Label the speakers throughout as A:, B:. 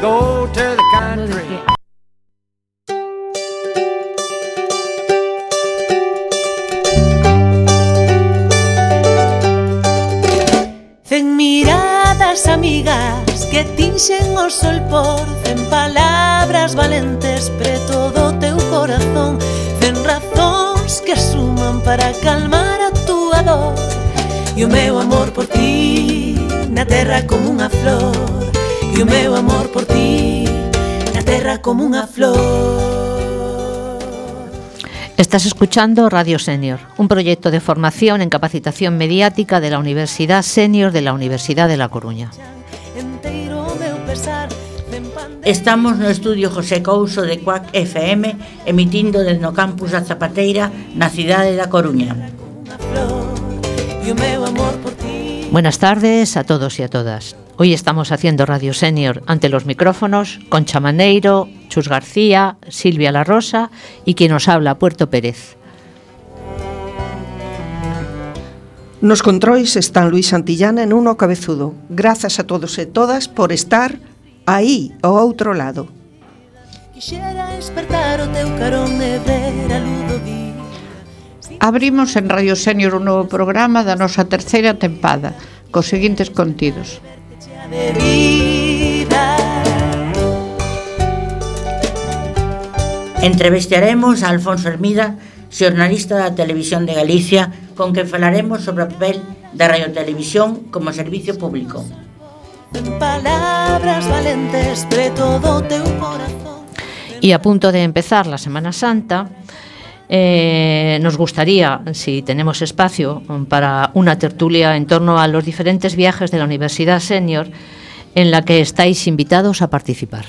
A: go to the country.
B: Cen miradas amigas que tinxen o sol por cen palabras valentes preto do teu corazón, cen razóns que suman para calmar a túa dor. E o meu amor por ti na terra como unha flor, e o meu amor por ti na terra como unha flor.
C: Estás escuchando Radio Senior, un proyecto de formación en capacitación mediática de la Universidad Senior de la Universidad de La Coruña.
D: Estamos no estudio José Couso de Cuac FM, emitindo desde no campus da Zapateira, na cidade da Coruña.
C: Buenas tardes a todos y a todas. Hoy estamos haciendo Radio Senior ante los micrófonos Concha Maneiro, Chus García, Silvia La Rosa y quien nos habla, Puerto Pérez.
E: Nos controis están Luis Santillana e Nuno Cabezudo. Grazas a todos e todas por estar aí ao outro lado.
F: Abrimos en Radio Senior un novo programa da nosa terceira tempada, cos seguintes contidos.
D: Entrevistaremos a Alfonso Hermida, xornalista da Televisión de Galicia, con quen falaremos sobre o papel da radiotelevisión como servicio público.
C: Y a punto de empezar la Semana Santa, nos gustaría, si tenemos espacio, para una tertulia en torno a los diferentes viajes de la Universidad Senior en la que estáis invitados a participar.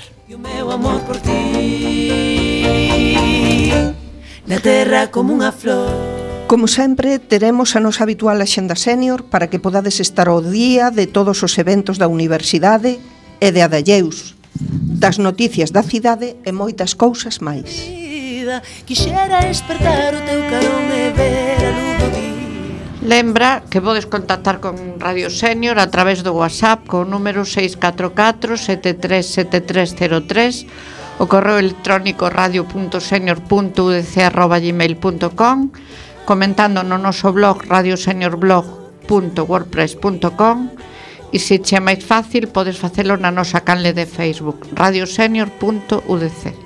E: Como sempre, teremos a nosa habitual axenda senior para que podades estar ao día de todos os eventos da universidade e de Adalleus, das noticias da cidade e moitas cousas máis.
F: Lembra que podes contactar con Radio Senior a través do WhatsApp con o número 644 737303, o correo electrónico radio.senior.udc@gmail.com, comentando no noso blog radioseniorblog.wordpress.com, e se che é máis fácil podes facelo na nosa canle de Facebook radiosenior.udc.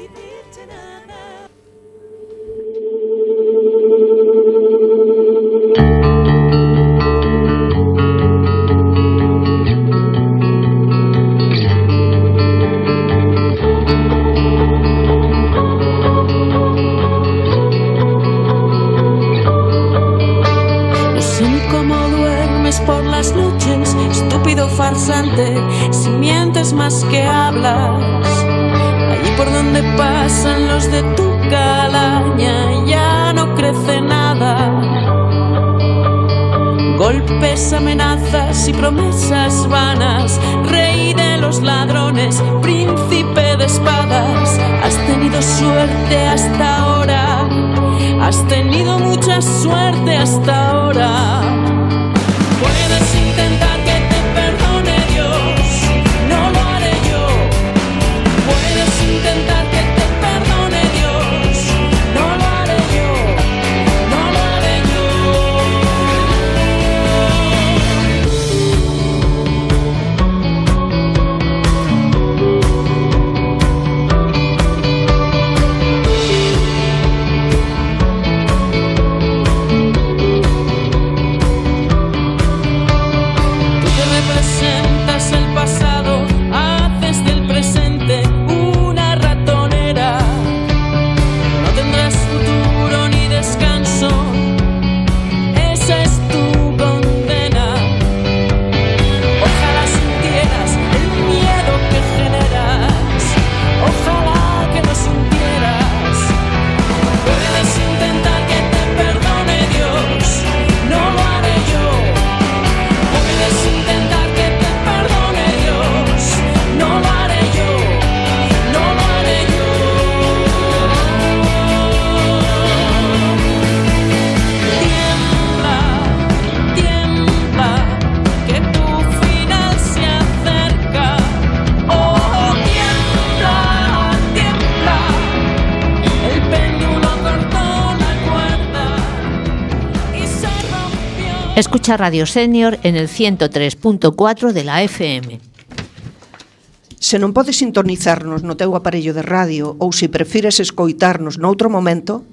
B: Si mientes más que hablas, allí por donde pasan los de tu calaña ya no crece nada. Golpes, amenazas y promesas vanas, rey de los ladrones, príncipe de espadas. Has tenido suerte hasta ahora, has tenido mucha suerte hasta ahora. Puedes intentar que te perdone Dios, no lo haré yo. Puedes intentar que te perdone Dios, no lo haré yo, no lo haré
C: Escucha Radio Senior en el 103.4 de la FM.
E: Se non podes sintonizarnos no teu aparello de radio ou se prefires escoitarnos noutro momento,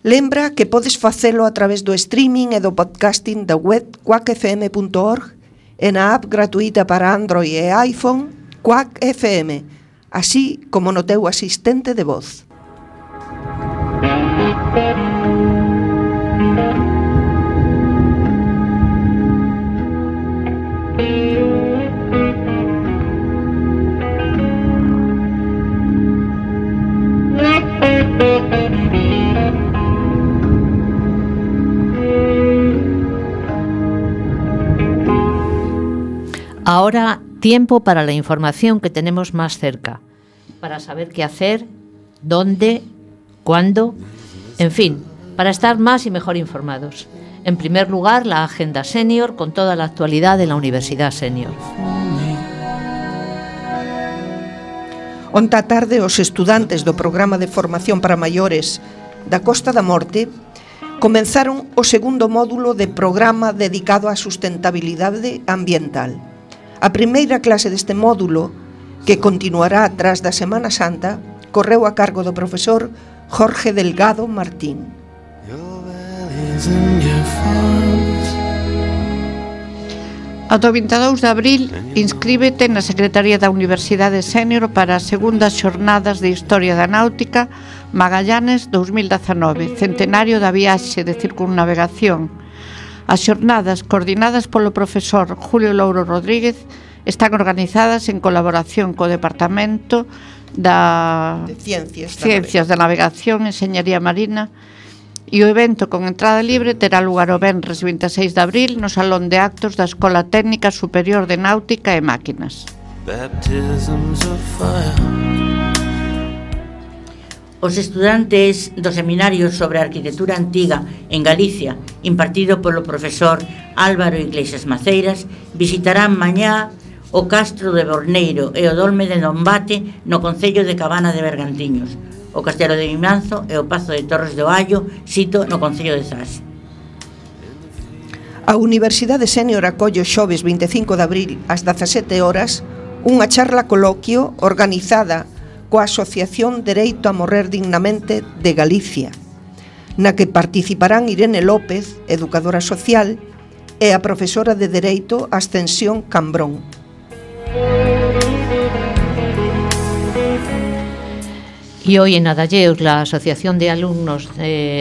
E: lembra que podes facelo a través do streaming e do podcasting da web quackfm.org e na app gratuita para Android e iPhone Quack FM, así como no teu asistente de voz.
C: Ahora, tiempo para la información que tenemos más cerca, para saber qué hacer, dónde, cuándo, en fin, para estar más y mejor informados. En primer lugar, la Agenda Senior con toda la actualidad de la Universidad Senior.
E: Onta tarde, os estudantes do Programa de Formación para Maiores da Costa da Morte comenzaron o segundo módulo de programa dedicado á sustentabilidade ambiental. A primeira clase deste módulo, que continuará tras da Semana Santa, correu a cargo do profesor Jorge Delgado Martín.
F: Ata o 22 de abril, inscríbete na Secretaría da Universidade Senior para as segundas xornadas de Historia da Náutica Magallanes 2019, centenario da viaxe de circunnavegación. As xornadas, coordinadas polo profesor Julio Louro Rodríguez, están organizadas en colaboración co Departamento de Ciencias da Navegación e Enxeñería Marina, e o evento con entrada libre terá lugar o venres 26 de abril no Salón de Actos da Escola Técnica Superior de Náutica e Máquinas.
D: Os estudantes do Seminario sobre Arquitectura Antiga en Galicia, impartido polo profesor Álvaro Iglesias Maceiras, visitarán mañá o Castro de Borneiro e o Dolme de Dombate no concello de Cabana de Bergantiños, o Castelo de Vimanzo e o Pazo de Torres do Allo, sito no concello de Zas.
E: A Universidade Senior acolle o xoves 25 de abril ás 17 horas unha charla coloquio organizada coa Asociación Dereito a Morrer Dignamente de Galicia, na que participarán Irene López, educadora social, e a profesora de Dereito Ascensión Cambrón.
C: Y hoy en Adalleus, la Asociación de Alumnos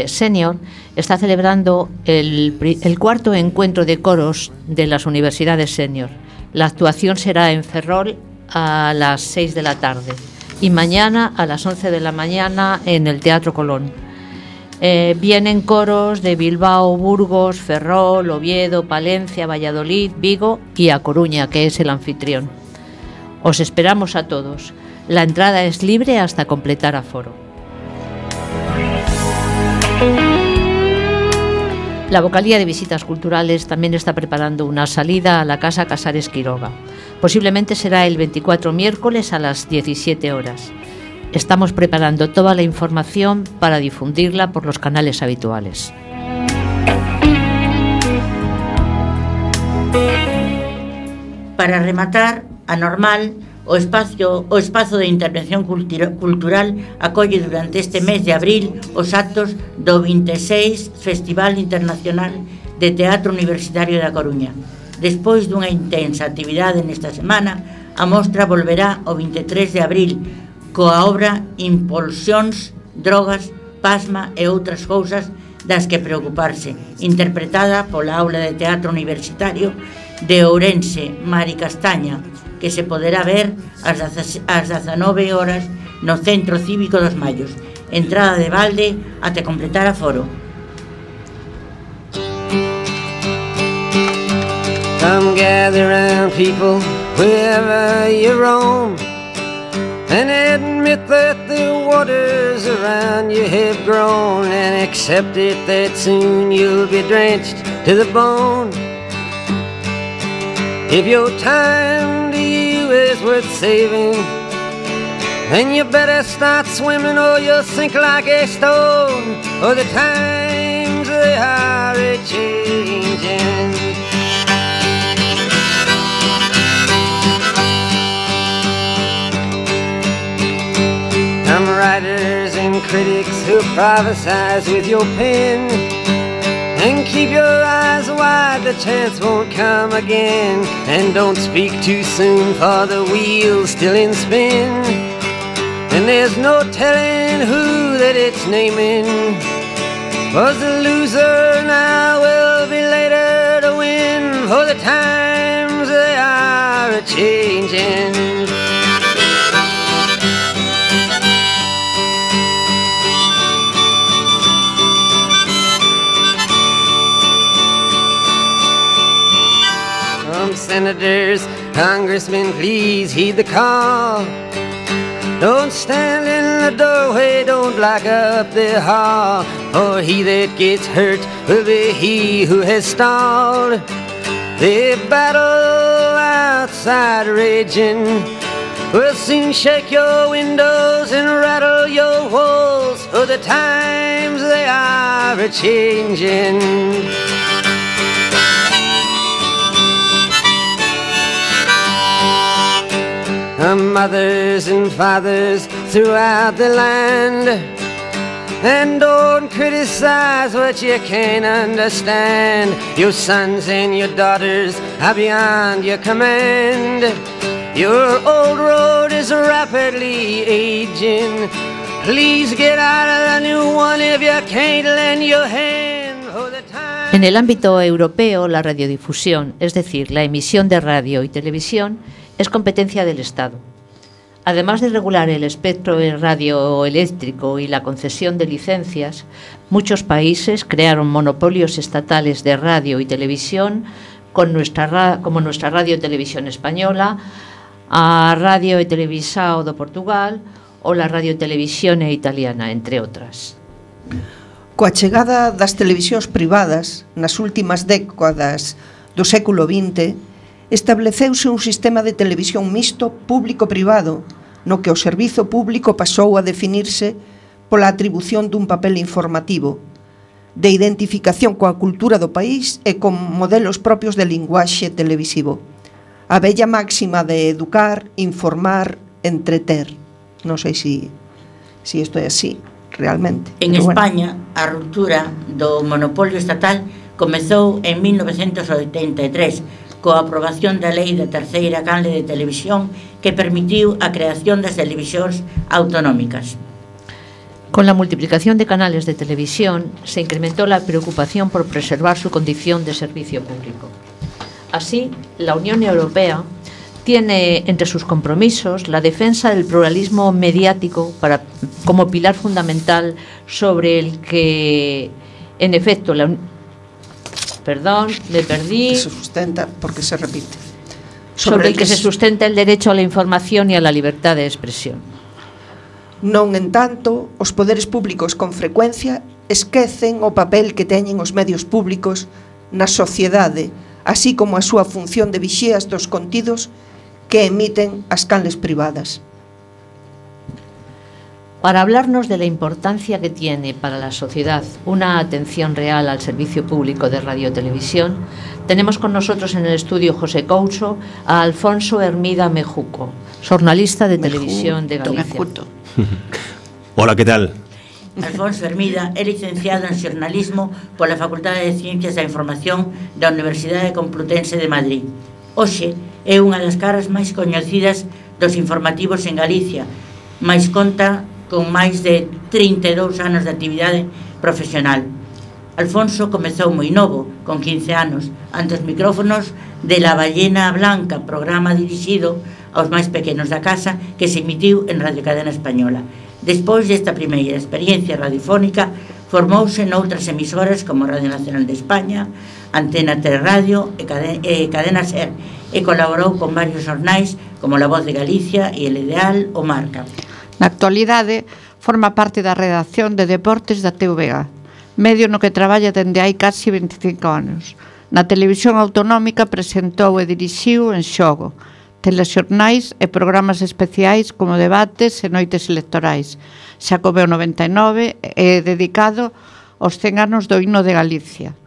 C: Senior está celebrando el cuarto encuentro de coros de las universidades senior. La actuación será en Ferrol a las 6 de la tarde y mañana a las 11 de la mañana en el Teatro Colón. Vienen coros de Bilbao, Burgos, Ferrol, Oviedo, Palencia, Valladolid, Vigo y A Coruña, que es el anfitrión. Os esperamos a todos. La entrada es libre hasta completar aforo. La Vocalía de Visitas Culturales también está preparando una salida a la Casa Casares Quiroga. Posiblemente será el 24 miércoles a las 17 horas. Estamos preparando toda la información para difundirla por los canales habituales.
D: Para rematar, Anormal, o espazo de intervención cultural acolle durante este mes de abril os actos do 26 Festival Internacional de Teatro Universitario da Coruña. Despois dunha intensa actividade nesta semana, a mostra volverá o 23 de abril coa obra Impulsións, Drogas, Pasma e outras cousas das que preocuparse, interpretada pola Aula de Teatro Universitario de Ourense, Mari Castaña, que se poderá ver ás 19 horas no Centro Cívico dos Mallos. Entrada de balde até completar aforo.
A: Come gather round, people, wherever you roam, and admit that the waters around you have grown, and accept it that soon you'll be drenched to the bone. If your time to you is worth saving, then you better start swimming or you'll sink like a stone. Or the times they are a-changing. Some writers and critics who prophesize with your pen, and keep your eyes wide, the chance won't come again. And don't speak too soon, for the wheel's still in spin, and there's no telling who that it's naming. Was the loser now will be later to win, for the times they are a-changing. Senators, congressmen, please heed the call. Don't stand in the doorway, don't block up the hall, for he that gets hurt will be he who has stalled. The battle outside raging will soon shake your windows and rattle your walls, for the times they are a-changing. Mothers and fathers throughout the land, and don't criticize what you can't understand. Your sons and your daughters are beyond your command. Your old road is rapidly aging. Please get out of the new one if you can't lend your hand for the time.
C: En el ámbito europeo, la radiodifusión, es decir, la emisión de radio y televisión, es competencia del Estado. Además de regular el espectro radioeléctrico y la concesión de licencias, muchos países crearon monopolios estatales de radio y televisión, como nuestra Radio y Televisión Española, a Radio e Televisão de Portugal ou la Radio e Televisión Italiana, entre outras.
E: Coa chegada das televisións privadas nas últimas décadas do século XX, estableceuse un sistema de televisión mixto público-privado, no que o servizo público pasou a definirse pola atribución dun papel informativo, de identificación coa cultura do país e con modelos propios de linguaxe televisivo. A bella máxima de educar, informar, entreter. Non sei se isto é así, realmente.
D: En España, a ruptura do monopolio estatal comezou en 1983, coa aprobación da lei da terceira canle de televisión que permitiu a creación das televisións autonómicas.
C: Con la multiplicación de canales de televisión se incrementó la preocupación por preservar su condición de servicio público. Así, la Unión Europea tiene entre sus compromisos la defensa del pluralismo mediático como pilar fundamental sobre el que, en efecto,
E: Se sustenta porque se repite.
C: Sobre el que se sustenta el derecho a la información y a la libertad de expresión.
E: Non, en tanto, os poderes públicos con frecuencia esquecen o papel que teñen os medios públicos na sociedade, así como a súa función de vixías dos contidos que emiten as canles privadas.
C: Para hablarnos de la importancia que tiene para la sociedad una atención real al servicio público de radio y televisión, tenemos con nosotros en el estudio José Couso a Alfonso Hermida Mejuco, jornalista de Televisión de Galicia.
G: Hola, ¿qué tal?
D: Alfonso Hermida é licenciado en xornalismo pola Facultade de Ciencias da Información da Universidade Complutense de Madrid. Hoxe é unha das caras máis coñecidas dos informativos en Galicia, máis conta con máis de 32 anos de actividade profesional. Alfonso comezou moi novo, con 15 anos, ante os micrófonos de La Ballena Blanca, programa dirixido aos máis pequenos da casa que se emitiu en Radio Cadena Española. Despois desta primeira experiencia radiofónica, formouse noutras emisoras como Radio Nacional de España, Antena 3 Radio e Cadena SER, e colaborou con varios xornais como La Voz de Galicia e El Ideal ou Marca.
F: Na actualidade, forma parte da redacción de deportes da TVG, medio no que traballa dende hai casi 25 anos. Na televisión autonómica presentou e dirixiu En Xogo, telexornais e programas especiais como debates e noites electorais. Xacobeo 99 é dedicado os 100 anos do himno de Galicia.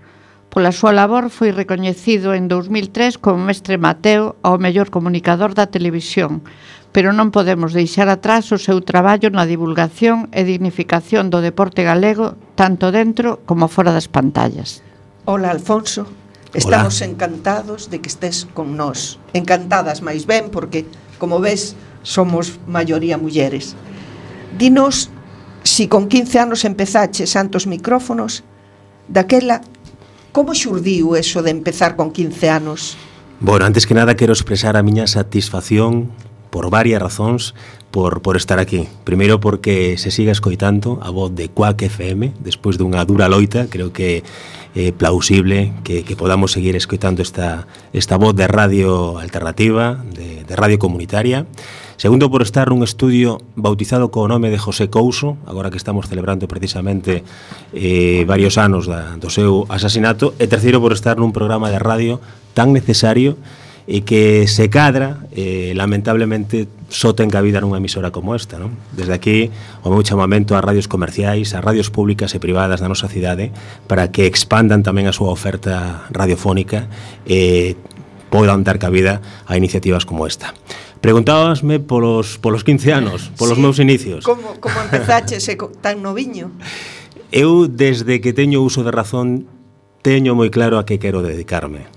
F: Pola súa labor foi recoñecido en 2003 como Mestre Mateo ao mellor comunicador da televisión, pero non podemos deixar atrás o seu traballo na divulgación e dignificación do deporte galego tanto dentro como fora das pantallas.
E: Hola, Alfonso. Estamos encantados de que estés con nós. Encantadas máis ben porque, como ves, somos maioría mulleres. Dinos, si con 15 anos empezaches santos micrófonos, daquela, como xurdiu eso de empezar con 15 anos?
G: Bueno, antes que nada quero expresar a miña satisfacción por varias razóns por estar aquí. Primeiro porque se siga escoitando a voz de Quack FM despois dunha dura loita. Creo que é plausible que podamos seguir escoitando esta voz de radio alternativa, de radio comunitaria. Segundo, por estar nun estudio bautizado co nome de José Couso, agora que estamos celebrando precisamente varios anos do seu asasinato. E terceiro, por estar nun programa de radio tan necesario e que se cadra, lamentablemente, só ten cabida nunha emisora como esta, non? Desde aquí, o meu chamamento ás radios comerciais, ás radios públicas e privadas da nosa cidade, para que expandan tamén a súa oferta radiofónica e podan dar cabida a iniciativas como esta. Preguntábasme polos 15 anos, polos meus inicios.
E: Como empezaches tan noviño?
G: Eu, desde que teño uso de razón, teño moi claro a que quero dedicarme.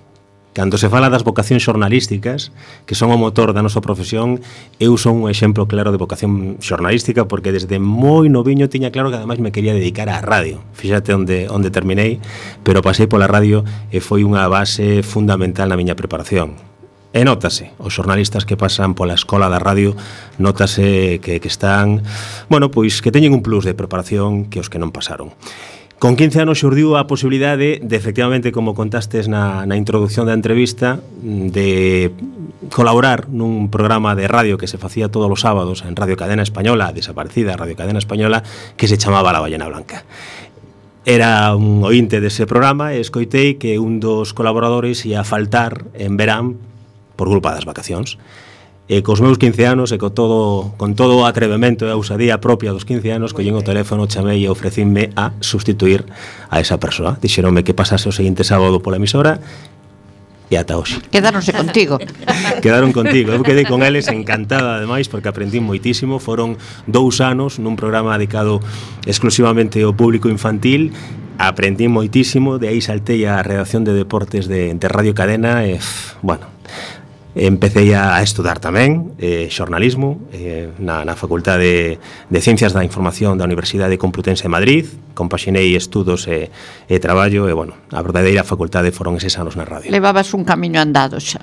G: Cando se fala das vocacións xornalísticas, que son o motor da nosa profesión, eu son un exemplo claro de vocación xornalística, porque desde moi noviño tiña claro que ademais me quería dedicar á radio. Fíxate onde terminei, pero pasei pola radio e foi unha base fundamental na miña preparación. E nótase, os xornalistas que pasan pola escola da radio, nótase que están, bueno, pois que teñen un plus de preparación que os que non pasaron. Con 15 anos xurdiu a posibilidade de, efectivamente, como contastes na introducción da entrevista, de colaborar nun programa de radio que se facía todos os sábados en Radio Cadena Española, desaparecida Radio Cadena Española, que se chamaba La Ballena Blanca. Era un ointe dese programa e escoitei que un dos colaboradores ia faltar en verán por culpa das vacacións. E cos meus 15 anos e con todo o atrevemento e a ousadía propia dos 15 anos, collín o teléfono, chamei e ofrecínme a sustituir a esa persoa. Dixeronme que pasase o seguinte sábado pola emisora e ata hoxe.
F: Quedáronse contigo.
G: Quedaron contigo. Eu quedei con eles encantada ademais porque aprendí moitísimo. Foron 2 anos nun programa dedicado exclusivamente ao público infantil. Aprendí moitísimo, de aí saltei a redacción de deportes de Radio Cadena e, bueno, empecé a estudar tamén xornalismo na Facultade de Ciencias da Información da Universidade Complutense de Madrid. Compaxinei estudos e traballo e, bueno, a verdadeira facultade foron eses anos na radio.
F: Levabas un camiño andado xa.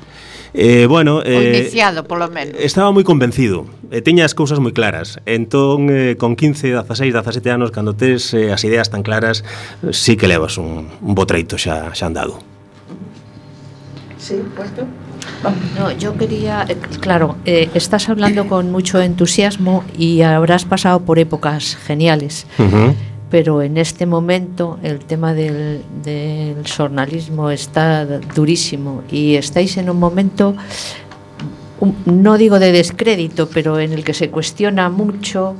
G: Bueno,
F: o iniciado, polo menos.
G: Estaba moi convencido, tiña as cousas moi claras. Entón, con 15, 16, 17 anos, cando tes as ideas tan claras, sí que levas un bo treito xa andado.
E: Sí, puesto.
C: No, yo quería, claro, estás hablando con mucho entusiasmo y habrás pasado por épocas geniales, pero en este momento el tema del xornalismo está durísimo y estáis en un momento, no digo de descrédito, pero en el que se cuestiona mucho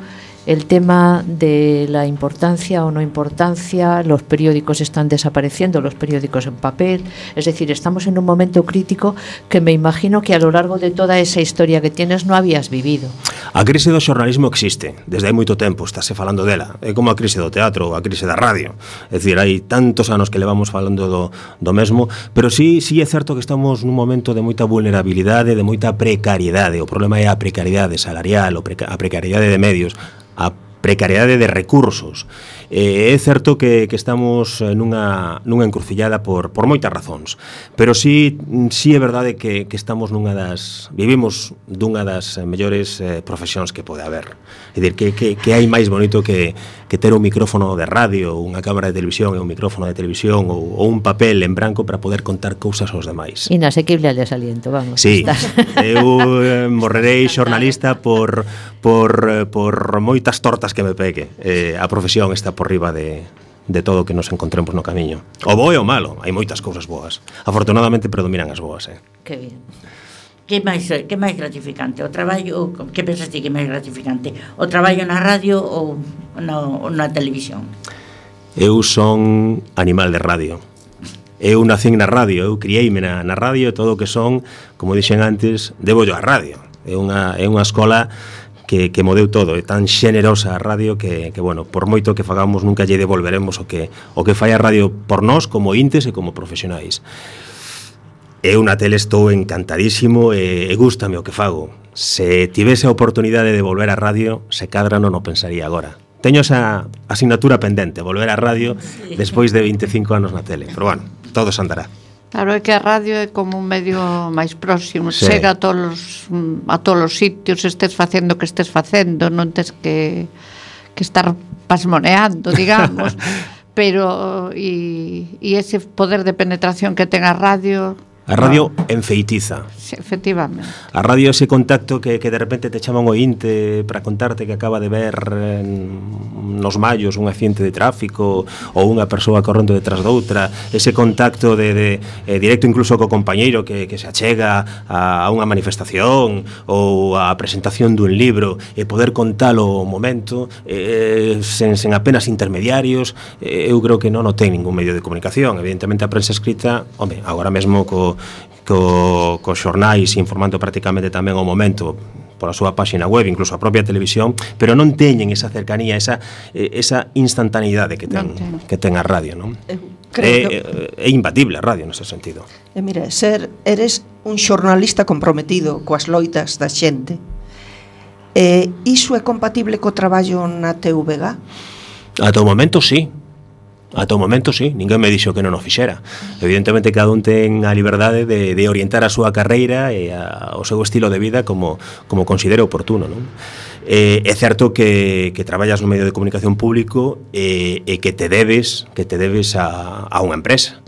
C: el tema de la importancia o no importancia. Los periódicos están desapareciendo, los periódicos en papel, es decir, estamos en un momento crítico que me imagino que a lo largo de toda esa historia que tienes no habías vivido.
G: A crise do xornalismo existe, desde hai moito tempo estáse falando dela, é como a crise do teatro ou a crise da radio, é dicir, hai tantos anos que levamos falando do mesmo, pero sí é certo que estamos nun momento de moita vulnerabilidade, de moita precariedade. O problema é a precariedade salarial, a precariedade de medios, a precariedade de recursos. É certo que estamos nunha encrucillada por moitas razóns, pero sí é verdade que estamos vivimos dunha das mellores profesións que pode haber. É dicir, que hai máis bonito que ter un micrófono de radio, unha cámara de televisión e un micrófono de televisión ou un papel en branco para poder contar cousas aos demais.
C: Inasequible al desaliento, vamos.
G: Sí, eu morrerei xornalista por moitas tortas que me pegue. A profesión está por riba de todo o que nos encontremos no camiño. O bo e o malo, hai moitas cousas boas. Afortunadamente predominan as boas.
D: Que bien. Que máis gratificante? O traballo, que pensas ti que é máis gratificante? O traballo na radio ou na televisión?
G: Eu son animal de radio. Eu nacín na radio, eu criei-me na radio, todo o que son, como dixen antes, debollo á radio. É unha escola que mo deu todo, é tan xenerosa a radio que bueno, por moito que fagamos nunca lle devolveremos o que fai a radio por nós como intes e como profesionais. Eu na tele estou encantadísimo e gústame o que fago. Se tivese a oportunidade de volver á radio, se cadra non o pensaría agora. Teño esa asignatura pendente, volver á radio despois de 25 anos na tele, pero bueno, todo se andará.
F: Claro, é que a radio é como un medio máis próximo,
G: sí.
F: Chega a todos os sitios, estés facendo o que estés facendo, non tes que estar pasmoneando, digamos, pero e ese poder de penetración que ten a radio...
G: A radio enfeitiza.
F: Sí, efectivamente.
G: A radio ese contacto que de repente te chama un ointe para contarte que acaba de ver nos mallos un accidente de tráfico ou unha persoa correndo detrás doutra, ese contacto de directo incluso co compañeiro que se achega a unha manifestación ou a presentación dun libro e poder contalo o momento sen apenas intermediarios, eu creo que non o ten ningún medio de comunicación. Evidentemente a prensa escrita, home, agora mesmo co xornais informando prácticamente tamén ao momento pola súa páxina web, incluso a propia televisión, pero non teñen esa cercanía, esa instantaneidade que ten a radio, non? É imbatible a radio nese sentido.
E: Mira, eres un xornalista comprometido coas loitas da xente. Iso é compatible co traballo na TVG?
G: Ata o momento, sí. Ata o momento, sí, ninguén me dixo que non o fixera. Evidentemente, cada un ten a liberdade de orientar a súa carreira e o seu estilo de vida como considere oportuno, non? É certo que traballas no medio de comunicación público e que te debes a unha empresa.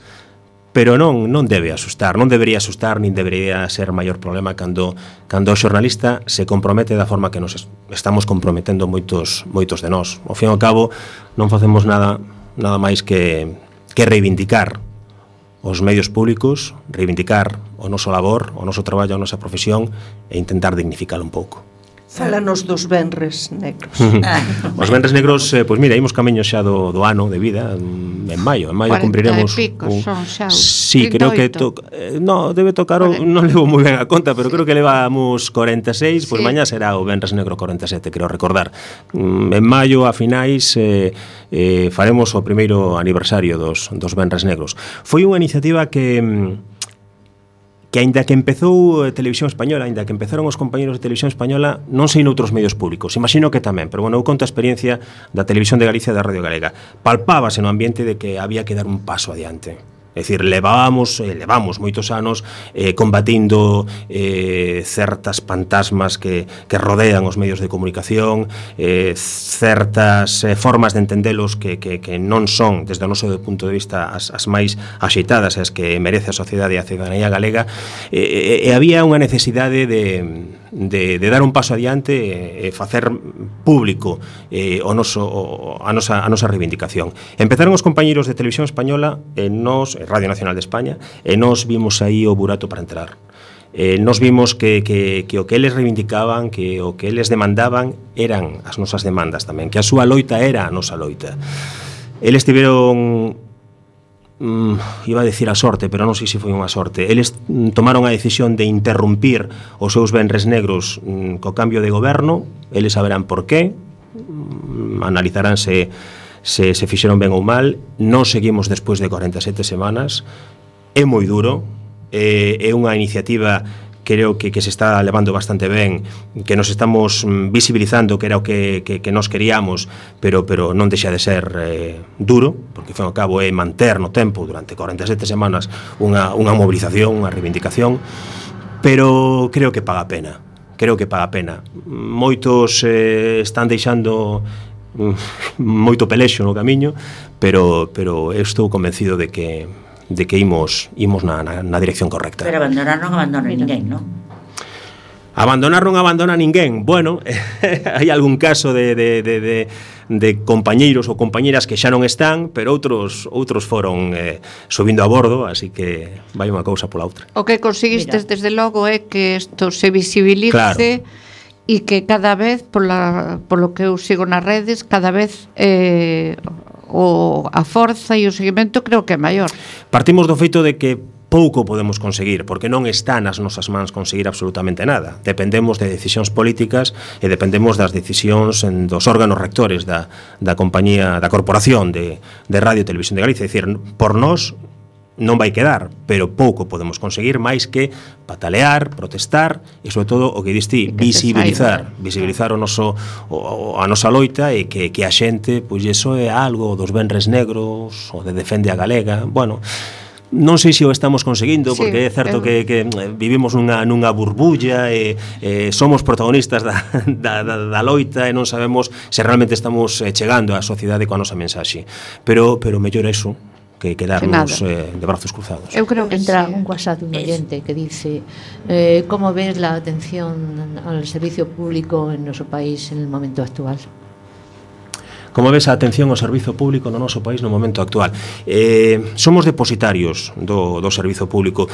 G: Pero non debe asustar, non debería asustar, nin debería ser maior problema cando o xornalista se compromete da forma que nos estamos comprometendo moitos de nós. Ao fin e ao cabo, non facemos nada máis que reivindicar os medios públicos, reivindicar o noso labor, o noso traballo, a nosa profesión e intentar dignificalo un pouco.
E: Fálanos dos venres negros.
G: Os venres negros, pois mira, imos camiño xa do ano de vida, en maio cumpriremos sí, creo que debe tocar non levo moi ben a conta, pero creo que levamos 46, pois mañá será o venres negro 47, creo recordar. En maio a finais faremos o primeiro aniversario dos venres negros. Foi unha iniciativa que aínda que empezou Televisión Española, aínda que empezaron os compañeros de Televisión Española, non sei noutros medios públicos, imagino que tamén, pero bueno, eu conto a experiencia da Televisión de Galicia e da Radio Galega. Palpábase no ambiente de que había que dar un paso adiante. É dicir, levamos moitos anos combatindo certas fantasmas que rodean os medios de comunicación, certas formas de entendelos que non son, desde o noso punto de vista, as máis axeitadas, as que merece a sociedade e a cidadanía galega, e había unha necesidade de dar un paso adiante e facer público a nosa reivindicación. Empezaron os compañeros de Televisión Española e nos, Radio Nacional de España, e nos vimos aí o burato para entrar. Nos vimos que o que eles reivindicaban, que o que eles demandaban eran as nosas demandas tamén, que a súa loita era a nosa loita. Eles tiveron, iba a decir a sorte, pero non sei se foi unha sorte. Eles tomaron a decisión de interrumpir os seus venres negros co cambio de goberno. Eles saberán por qué, analizarán se fixeron ben ou mal. Nós seguimos despois de 47 semanas. É moi duro, é unha iniciativa creo que se está levando bastante ben, que nos estamos visibilizando, que era o que nos queríamos, pero non deixa de ser duro, porque ao fin e ao cabo é manter no tempo durante 47 semanas unha movilización, unha reivindicación, pero creo que paga a pena. Moitos están deixando moito pelexo no camiño, pero eu estou convencido de que imos na dirección correcta.
D: Pero abandonar non abandona ninguén, non?
G: Abandonar non abandona ninguén. Bueno, hai algún caso de compañeiros ou compañeras que xa non están, pero outros foron subindo a bordo, así que vai unha cousa pola outra.
F: O que conseguistes desde logo é que isto se visibilice, claro, e que cada vez, polo que eu sigo nas redes, cada vez a forza e o seguimento creo que é maior.
G: Partimos do feito de que pouco podemos conseguir, porque non está nas nosas mans conseguir absolutamente nada. Dependemos de decisións políticas e dependemos das decisións dos órganos rectores da compañía, da corporación de Radio e Televisión de Galicia. É dicir, por nós non vai quedar, pero pouco podemos conseguir máis que patalear, protestar e, sobre todo, o que diste, visibilizar a nosa loita e que a xente, pois, iso é algo dos venres negros ou de Defende a Galega. Bueno, non sei se o estamos conseguindo, porque é certo que vivimos nunha burbulla e somos protagonistas da loita e non sabemos se realmente estamos chegando á sociedade coa nosa mensaxe. Pero mellor eso que quedarnos de brazos cruzados.
C: Eu creo que entra un WhatsApp de un oyente que dice ¿cómo ves la atención al servicio público en nuestro país en el momento actual?
G: Como ves a atención ao servizo público no noso país no momento actual? Somos depositarios do servizo público.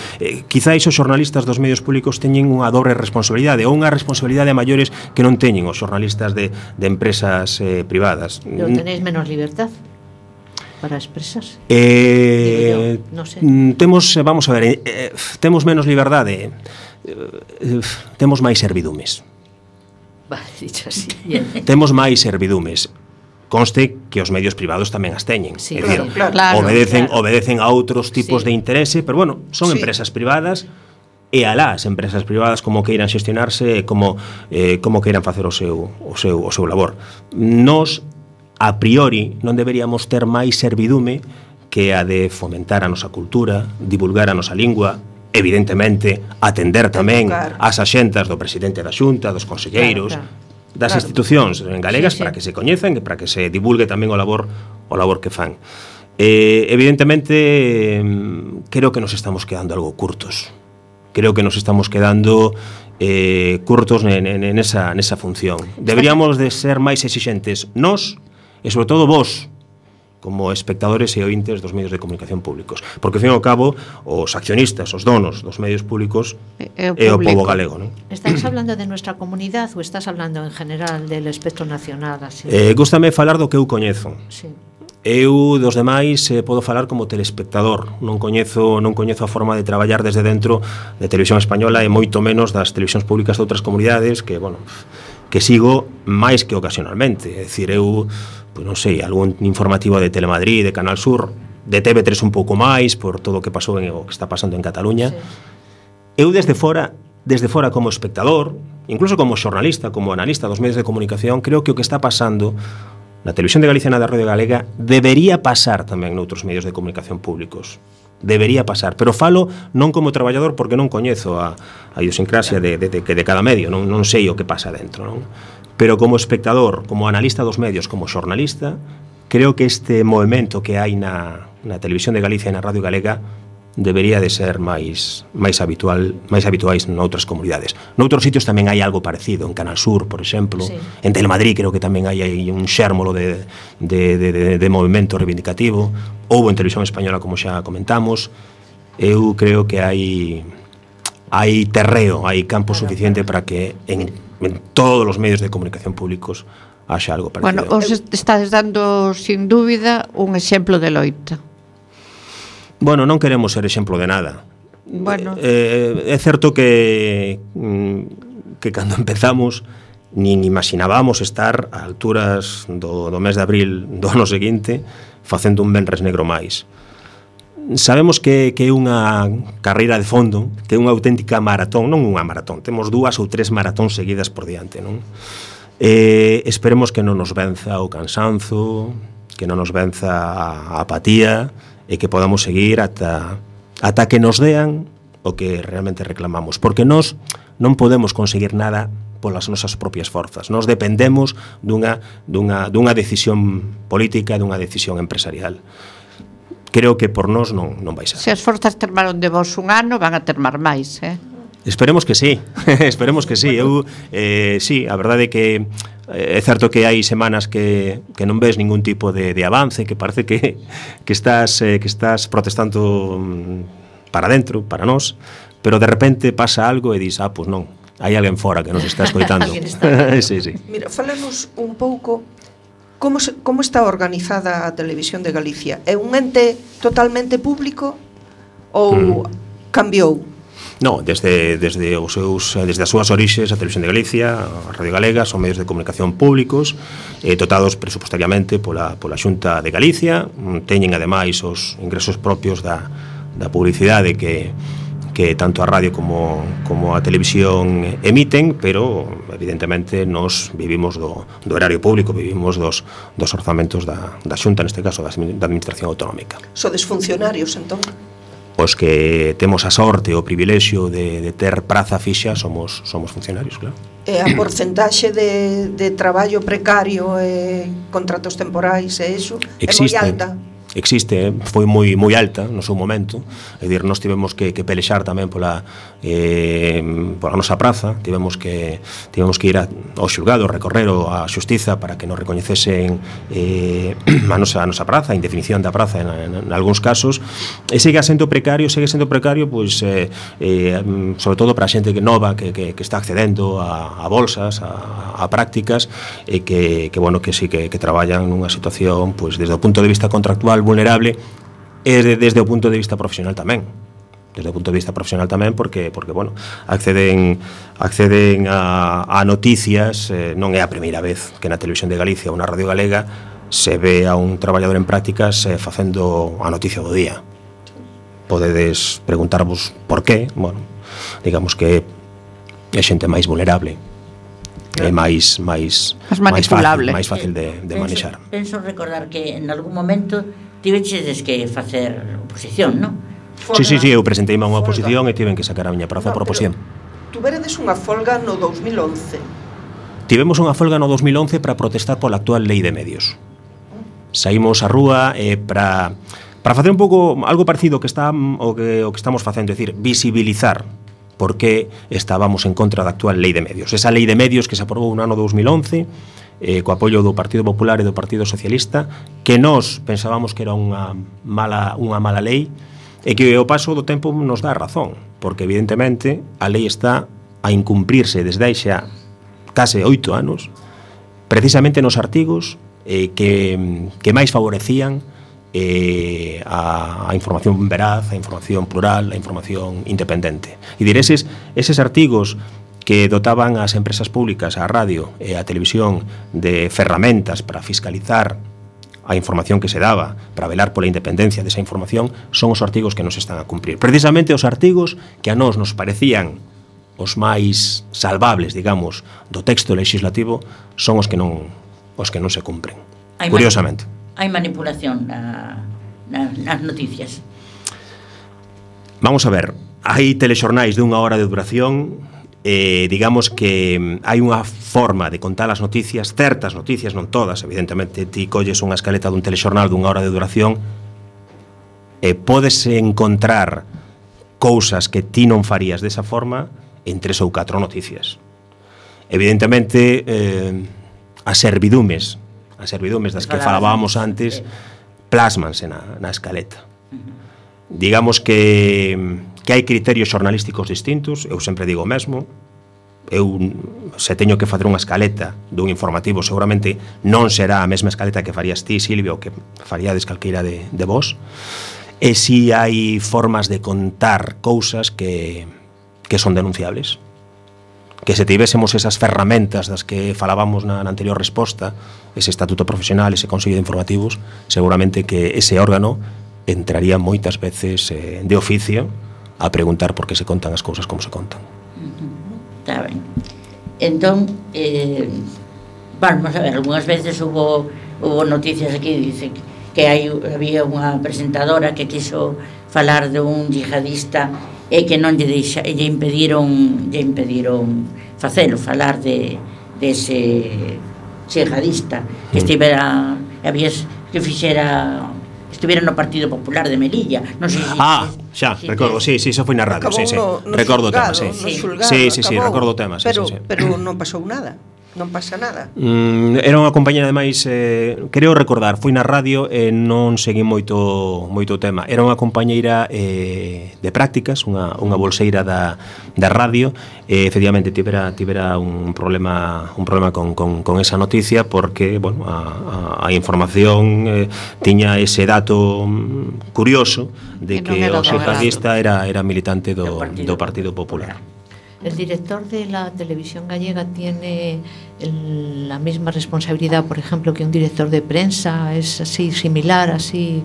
G: Quizáis os xornalistas dos medios públicos teñen unha dobre responsabilidade ou unha responsabilidade a maiores que non teñen os xornalistas de empresas privadas.
C: Pero tenéis menos libertad para expresarse. No sé.
G: Vamos a ver, temos menos liberdade, temos máis servidumes.
C: Vale, dicho así.
G: Temos máis servidumes. Conste que os medios privados tamén as teñen.
C: Sí,
G: é dicir, obedecen a outros tipos de interese, pero bueno, son empresas privadas e alá as empresas privadas como queiran xestionarse, como queiran facer o seu labor. Nos, a priori, non deberíamos ter máis servidume que a de fomentar a nosa cultura, divulgar a nosa lingua, evidentemente atender tamén as axentas do presidente da Xunta, dos conselleiros, das institucións galegas, para que se coñezan e para que se divulgue tamén o labor que fan. Evidentemente, creo que nos estamos quedando algo curtos. Creo que nos estamos quedando curtos nesa función. Deberíamos de ser máis exixentes nós e, sobre todo, vós, como espectadores e ointes dos medios de comunicación públicos. Porque, ao fin e ao cabo, os accionistas, os donos dos medios públicos é o pobo galego, non?
C: ¿Estás hablando de nuestra comunidad ou estás hablando en general del espectro nacional?
G: Gústame falar do que eu coñezo.
C: Sí.
G: Eu, dos demais, podo falar como telespectador. Non coñezo a forma de traballar desde dentro de Televisión Española e moito menos das televisións públicas de outras comunidades que sigo máis que ocasionalmente. É dicir, eu non sei, algún informativo de Telemadrid, de Canal Sur, de TV3 un pouco máis por todo o que pasou o que está pasando en Cataluña. Eu desde fora como espectador, incluso como xornalista, como analista dos medios de comunicación, creo que o que está pasando na Televisión de Galicia e na Radio Galega debería pasar tamén noutros medios de comunicación públicos. Debería pasar, pero falo non como traballador porque non coñezo a idiosincrasia de cada medio, non sei o que pasa dentro, non? Pero como espectador, como analista dos medios, como xornalista, creo que este movimento que hai na Televisión de Galicia e na Radio Galega debería de ser máis habituais noutras comunidades. Noutros sitios tamén hai algo parecido, en Canal Sur, por exemplo, en Telemadrid creo que tamén hai un xérmolo de movimento reivindicativo, houbo en Televisión Española, como xa comentamos. Eu creo que hai terreo, hai campo suficiente para que en todos os medios de comunicación públicos haxa algo parecido.
F: Bueno, os estás dando, sin dúbida, un exemplo de loita.
G: Bueno, non queremos ser exemplo de nada.
F: Bueno.
G: É certo que cando empezamos nin imaginábamos estar a alturas do mes de abril do ano seguinte facendo un venres negro máis. Sabemos que é unha carreira de fondo, que é unha auténtica maratón, non unha maratón, temos 2 ou 3 maratóns seguidas por diante, non? Esperemos que non nos venza o cansanzo, que non nos venza a apatía, e que podamos seguir ata que nos dean o que realmente reclamamos, porque nós non podemos conseguir nada polas nosas propias forzas. Nós dependemos dunha decisión política, dunha decisión empresarial. Creo que por nós non vai ser.
F: Se as forzas termaron de vos un ano, van a termar máis,
G: Esperemos que sí, esperemos que sí. Eu, sí, a verdade é que é certo que hai semanas que non ves ningún tipo de avance, que parece que estás protestando para dentro, para nós, pero de repente pasa algo e dis, pois non, hai alguén fora que nos está escoitando.
E: Sí. Mira, falanos un pouco Como está organizada a Televisión de Galicia? É un ente totalmente público ou cambiou?
G: No, desde as súas orixes, a Televisión de Galicia, a Radio Galega, son medios de comunicación públicos, dotados presupuestariamente pola Xunta de Galicia, teñen ademais os ingresos propios da publicidade que tanto a radio como a televisión emiten, pero evidentemente nos vivimos do erario público, vivimos dos orzamentos da Xunta, neste caso da Administración Autonómica.
E: Sodes funcionarios, entón?
G: Os que temos a sorte o privilexio de ter praza fixa somos funcionarios, claro.
E: E a porcentaxe de traballo precario e contratos temporais e iso é moi alta?
G: Existe, foi moi alta no seu momento, é dicir, nós tivemos que pelexar tamén pola nosa praza, tivemos que ir ao xulgado, recorrer a xustiza para que nos recoñecesen a nosa praza, a indefinición da praza en algúns casos, e segue sendo precario, pois sobre todo para a xente que nova que está accedendo a bolsas, a prácticas, e que sí que traballan nunha situación, pois desde o punto de vista contractual vulnerable e desde o punto de vista profesional tamén. Desde o punto de vista profesional tamén porque acceden a noticias, non é a primeira vez que na Televisión de Galicia ou na Radio Galega se ve a un traballador en prácticas facendo a noticia do día. Podedes preguntarvos por qué, digamos que é xente máis vulnerable, é máis manipulable, máis fácil de manexar.
D: Penso recordar que en algún momento tiveches que facer oposición, non?
G: Sí, eu presenteime a unha oposición e tiven que sacar a miña praza por oposición.
E: Tuveredes unha folga no 2011.
G: Tivemos unha folga no 2011 para protestar pola actual lei de medios. Saímos á rúa para facer un pouco algo parecido o que estamos facendo, é dicir, visibilizar por que estábamos en contra da actual lei de medios. Esa lei de medios que se aprobou no ano 2011, co apoio do Partido Popular e do Partido Socialista, que nós pensábamos que era unha mala lei, e que o paso do tempo nos dá razón, porque evidentemente a lei está a incumprirse desde hai xa case 8 anos, precisamente nos artigos que máis favorecían a información veraz, a información plural, a información independente. E dir, eses artigos que dotaban as empresas públicas, a radio e a televisión de ferramentas para fiscalizar a información que se daba, para velar pola independencia desa información, son os artigos que nos están a cumprir. Precisamente os artigos que a nós nos parecían os máis salvables, digamos, do texto legislativo, son os que non se cumpren. Curiosamente.
D: Hai manipulación nas noticias.
G: Vamos a ver, hai telexornais de 1 hora de duración, digamos que hai unha forma de contar as noticias, certas noticias, non todas, evidentemente, ti colles unha escaleta dun telexornal d'1 hora de duración e podes encontrar cousas que ti non farías desa forma en 3 ou 4 noticias. Evidentemente, as servidumes das que falábamos antes plásmanse na escaleta. Digamos que hai criterios xornalísticos distintos, eu sempre digo o mesmo. Eu, se teño que facer unha escaleta dun informativo, seguramente non será a mesma escaleta que farías ti, Silvia, ou que faríades calqueira de vos. E si hai formas de contar cousas que son denunciables, que se tivésemos esas ferramentas das que falábamos na anterior resposta, ese estatuto profesional, ese consello de informativos, seguramente que ese órgano entraría moitas veces de oficio a preguntar por que se contan as cousas como se contan.
D: Está ben. Entón, vamos a ver, algunhas veces hubo noticias aquí, dice que había unha presentadora que quiso falar de un yihadista e que non lle impediron facelo, falar de ese yihadista que estivera estuviera no Partido Popular de Melilla. Non sei se
G: recordo, sí, eso foi na radio, sí. Recordo o tema, sí. Sí, recordo o tema, sí.
E: Pero non pasou nada. Non pasa nada.
G: Era unha compañera, ademais, creo recordar, foi na radio e non seguí moito o tema. Era unha compañeira de prácticas, unha bolseira da radio, e efectivamente tivera un problema con esa noticia, porque, bueno, a información tiña ese dato curioso de que o xihadista era militante do Partido Popular.
C: ¿El director de la televisión gallega tiene la misma responsabilidad, por ejemplo, que un director de prensa? ¿Es así, similar, así?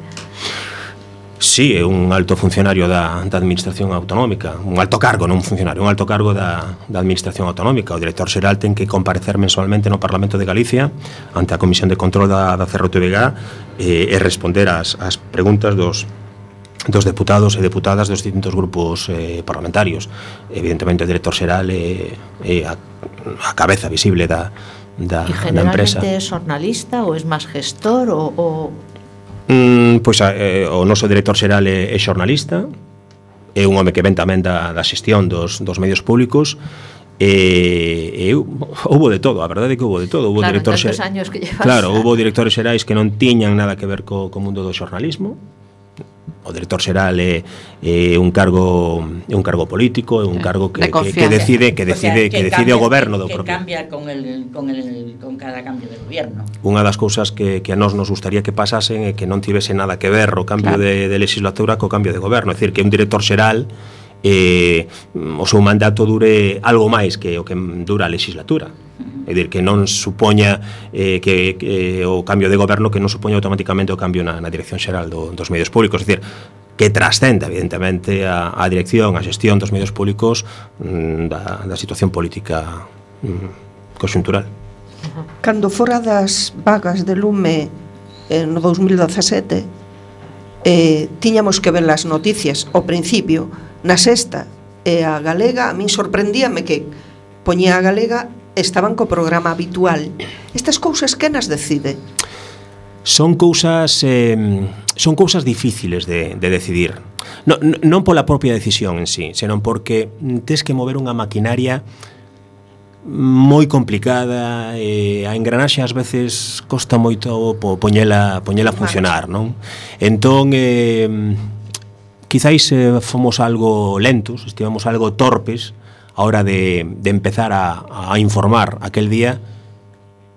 G: Sí, é un alto funcionario da Administración Autonómica, un alto cargo, non un funcionario, un alto cargo da Administración Autonómica. O director xeral ten que comparecer mensualmente no Parlamento de Galicia ante a Comisión de Control da CRTVG e responder ás preguntas dos deputados e deputadas dos distintos grupos parlamentarios. Evidentemente o director xeral é a cabeza visible da empresa.
C: ¿Y generalmente es jornalista o es más gestor o...?
G: Pois o noso director xeral é xornalista, é un home que ven tamén da xestión dos medios públicos, e houbo de todo, a verdade é que houbo de todo.
C: Claro, en tantos años que llevas.
G: Claro, houbo directores xerais que non tiñan nada que ver co mundo do xornalismo. O director xeral é un cargo político, é un cargo que decide o goberno do propio.
D: Que cambia con cada cambio de goberno.
G: Unha das cousas que a nós nos gustaría que pasasen é que non tivese nada que ver o cambio de legislatura co cambio de goberno, é dicir, que un director xeral o seu mandato dure algo máis que o que dura a legislatura. É dicir, que non supoña que o cambio de goberno que non supoña automáticamente o cambio na dirección xeral dos medios públicos. É dicir, que trascenda evidentemente a dirección, a xestión dos medios públicos da situación política conxuntural.
E: Cando fora das vagas de lume no 2017, tiñamos que ver as noticias ao principio na Sexta e a Galega. A min sorprendíame que poñía a Galega, estaban co programa habitual. Estas cousas que nas decide?
G: Son cousas difíciles de decidir. Non pola propia decisión en sí, senón porque tes que mover unha maquinaria moi complicada, e a engranaxe ás veces costa moito poñela a funcionar, non? Entón, quizáis fomos algo lentos, estivemos algo torpes a hora de empezar a informar aquel día,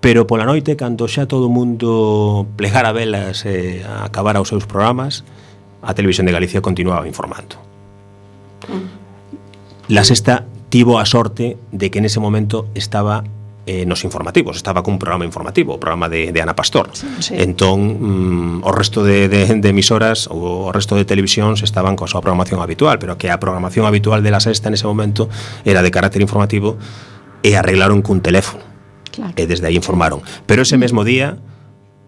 G: pero pola noite, cando xa todo o mundo plegara velas e acabara os seus programas, a Televisión de Galicia continuaba informando. La Sexta tivo a sorte de que nese momento estaba nos informativos, estaba cun programa informativo, o programa de Ana Pastor. Sí. Entón, o resto de emisoras ou o resto de televisións estaban coa súa programación habitual, pero que a programación habitual de La Sexta nese momento era de carácter informativo e arreglaron cun teléfono. Claro. E desde aí informaron. Pero ese mesmo día,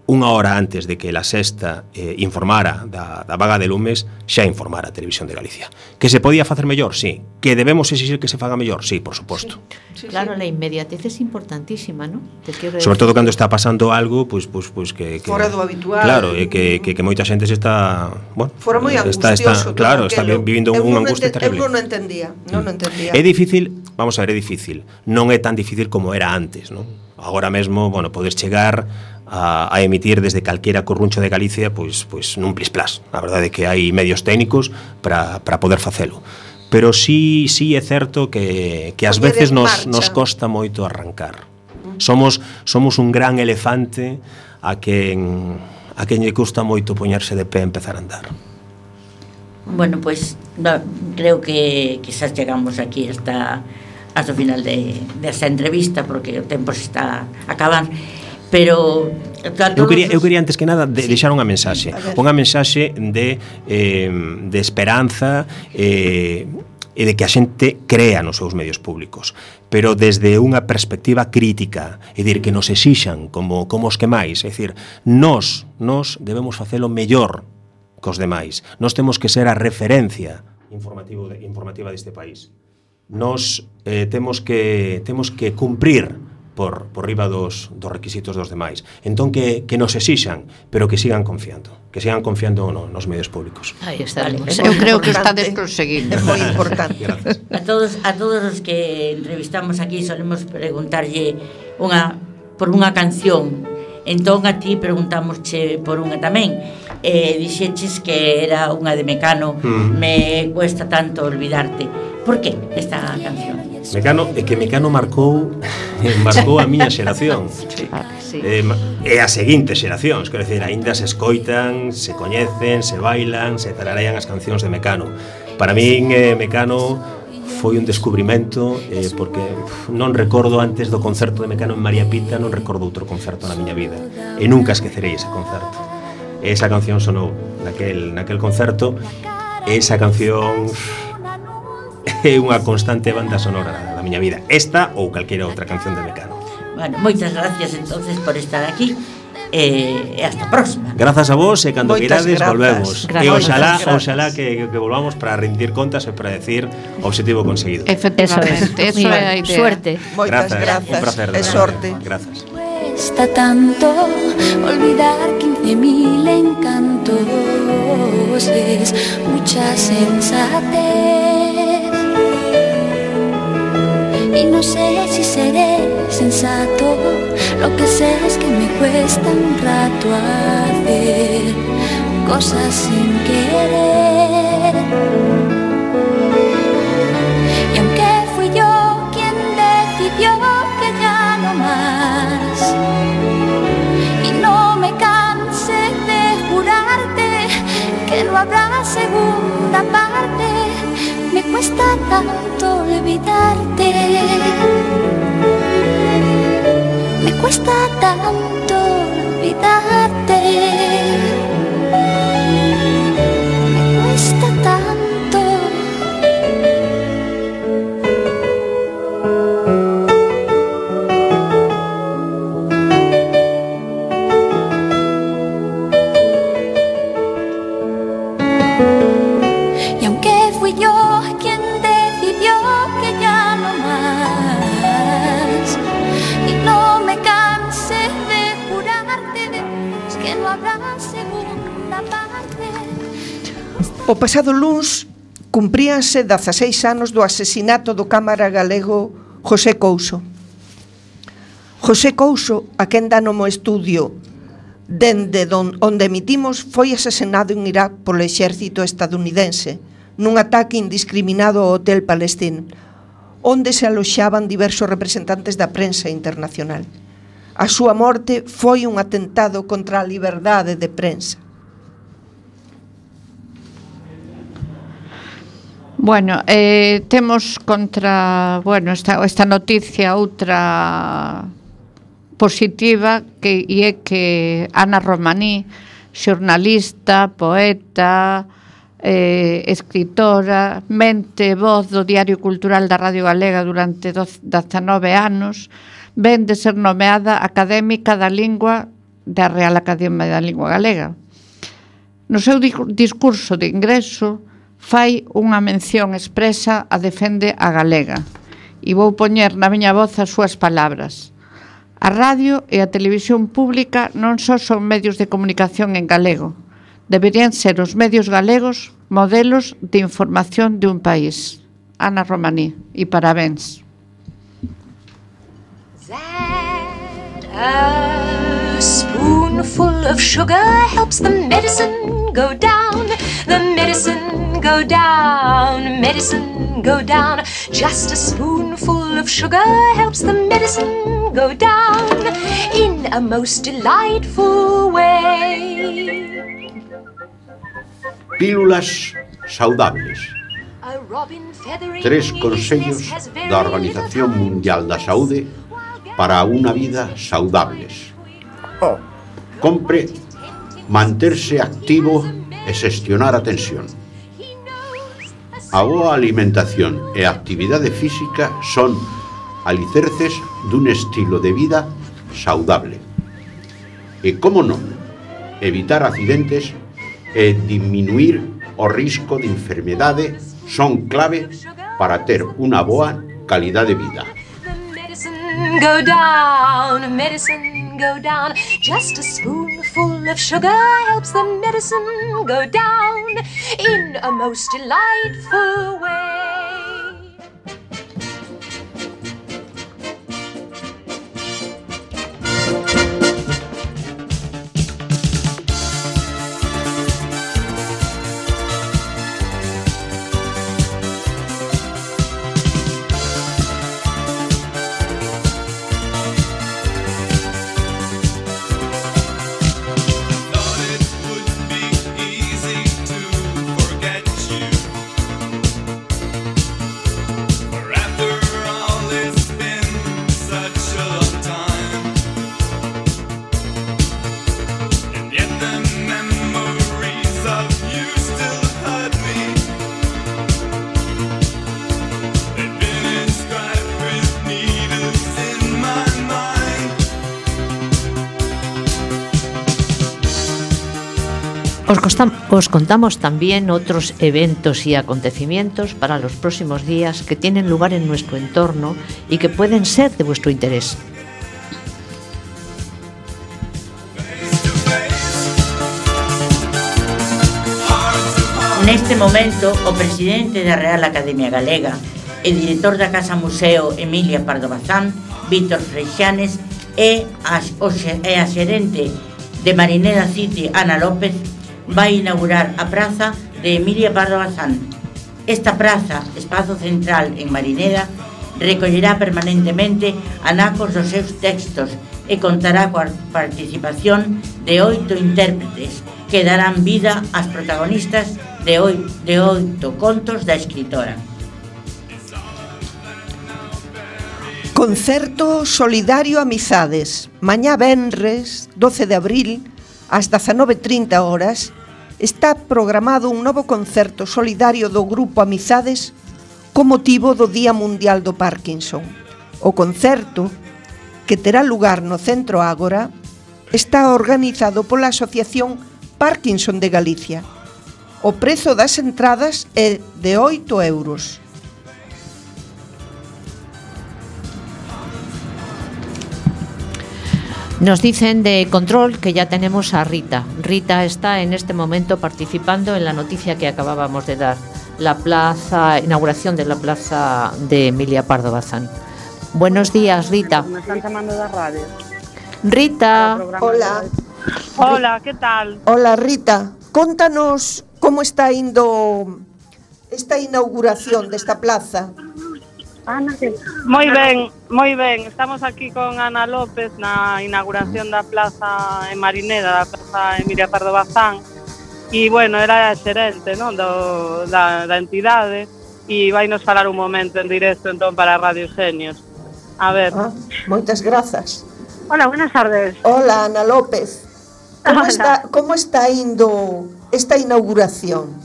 G: unha hora antes de que La Sexta informara da vaga de lumes, xa informara a Televisión de Galicia. Que se podía facer mellor? Sí. Que debemos exigir que se faga mellor? Sí, por suposto.
C: Sí. Claro, la inmediatez es importantísima, ¿no?
G: Sobre todo cando está pasando algo, pues que
E: fora do habitual.
G: Claro, e que moita xente se está, bueno,
E: fora moi angustioso.
G: Claro, está vivindo unha angustia terrible.
E: Eu non entendía.
G: É difícil, vamos a ver, é difícil. Non é tan difícil como era antes, non? Agora mesmo, bueno, podes chegar a emitir desde calquera corruncho de Galicia pois nun plis-plas. A verdade é que hai medios técnicos para poder facelo. Pero sí é certo que ás veces nos costa moito arrancar. Somos un gran elefante a quen lle custa moito poñerse de pé e empezar a andar.
D: Bueno, pues creo que quizás chegamos aquí hasta o final desta entrevista, porque o tempo se está a acabar. Pero
G: eu quería antes que nada deixar unha mensaxe de esperanza e de que a xente crea nos seus medios públicos, pero desde unha perspectiva crítica, é dicir, que nos exixan como os que máis, é dicir, nós debemos facelo mellor cos demais. Nós temos que ser a referencia informativa deste país. Nós temos que cumprir por riba dos requisitos dos demais. Entón que nos exixan, pero que sigan confiando nos medios públicos.
C: Aí estaremos.
F: Eu creo que estades conseguindo.
E: É moi importante.
D: A todos os que entrevistamos aquí solemos preguntarlle por unha canción. Entón a ti preguntámosche por unha tamén. Dixeches que era unha de Mecano, Me cuesta tanto olvidarte. Por que esta canción?
G: Mecano marcou a miña xeración.
C: Sí.
G: E as seguintes xeracións, quero dicir, aínda se escoitan, se coñecen, se bailan, se tararean as cancións de Mecano. Para min, Mecano foi un descubrimento, porque non recordo antes do concerto de Mecano en María Pita, non recordo outro concerto na miña vida, e nunca esquecerei ese concerto. Esa canción sonou naquel concerto, esa canción é unha constante banda sonora da miña vida, esta ou calquera outra canción de Mecano.
D: Bueno, moitas gracias entonces por estar aquí, e hasta a próxima.
G: Grazas a vos, e cando
E: Moitas
G: queirades
E: grazas.
G: volvemos.
C: Grazas.
G: E oxalá
E: Grazas.
G: que volvamos para rendir contas e para decir objetivo conseguido.
F: Efectivamente, eso é a idea.
C: Suerte.
E: Moitas
G: Un
E: grazas.
G: placer, de
E: E
G: verdade.
E: sorte.
G: Grazas.
B: Cuesta tanto olvidar 15.000 encantos, es mucha sensatez. Y no sé si seré sensato, lo que sé es que me cuesta un rato hacer cosas sin querer. Y aunque fui yo quien decidió que ya no más, y no me canse de jurarte que no habrá segunda parte, me cuesta tanto olvidarte, me cuesta tanto olvidarte, me cuesta tanto. Y aunque fui yo quien decidió que ya no más, y no me canse de jurarte que no habrá segunda parte.
E: O pasado luns cumpríanse 16 anos do asesinato do cámara galego José Couso. José Couso, a quen dá no mo estudio dende onde emitimos, foi asesinado en Irak polo exército estadounidense nun ataque indiscriminado ao hotel palestino, onde se aloxaban diversos representantes da prensa internacional. A súa morte foi un atentado contra a liberdade de prensa.
F: Bueno, temos contra, bueno, esta noticia outra positiva que é que Ana Romaní, xornalista, poeta, escritora, mente voz do Diario Cultural da Radio Galega durante 19 anos, ven de ser nomeada académica da lingua da Real Academia da Lingua Galega. No seu discurso de ingreso fai unha mención expresa a defende a galega, e vou poñer na miña voz as súas palabras. A radio e a televisión pública non só son medios de comunicación en galego, deberían ser os medios galegos modelos de información de un país. Ana Romaní, e parabéns.
H: A spoonful of sugar helps the medicine go down, the medicine go down, medicine go down. Just a spoonful of sugar helps the medicine go down in a most delightful way.
I: Pílulas saudables. 3 consellos da Organización Mundial da Saúde para unha vida saudables. Compre manterse activo e xestionar a tensión. A boa alimentación e a actividade física son alicerces dun estilo de vida saudable. E, como non, evitar accidentes e diminuir o risco de enfermedade son clave para ter unha boa calidade de vida.
H: Go down, medicine go down. Just a spoonful of sugar helps the medicine go down in a most delightful way.
C: Os contamos también otros eventos y acontecimientos para los próximos días que tienen lugar en nuestro entorno y que pueden ser de vuestro interés.
D: Neste momento, o presidente da Real Academia Galega e director da Casa Museo Emilia Pardo Bazán, Víctor Freixanes, e a xerente de Marineda City, Ana López, vai inaugurar a praza de Emilia Pardo Bazán. Esta praza, espazo central en Marineda, recollerá permanentemente anacos dos seus textos e contará coa participación de 8 intérpretes que darán vida ás protagonistas de 8 contos da escritora.
E: Concerto solidario Amizades. Mañá venres, 12 de abril, ás 19:30 horas, está programado un novo concerto solidario do Grupo Amizades co motivo do Día Mundial do Parkinson. O concerto, que terá lugar no Centro Ágora, está organizado pola Asociación Parkinson de Galicia. O prezo das entradas é de 8 euros.
C: Nos dicen de control que ya tenemos a Rita. Rita está en este momento participando en la noticia que acabábamos de dar, la inauguración de la plaza de Emilia Pardo Bazán. Buenos días, Rita.
J: Me están llamando de radio.
C: Rita.
E: Hola.
J: Hola, ¿qué tal?
E: Hola, Rita. Contanos como está indo esta inauguración desta plaza.
J: Moi ben. Estamos aquí con Ana López na inauguración da plaza en Marineda, da plaza Emilia Pardo Bazán. E, bueno, era a xerente, non, da entidade e vai nos falar un momento en directo entón para Radio Xenios. A ver.
E: Moitas grazas.
J: Hola, buenas tardes.
E: Hola, Ana López. ¿Cómo está indo esta inauguración?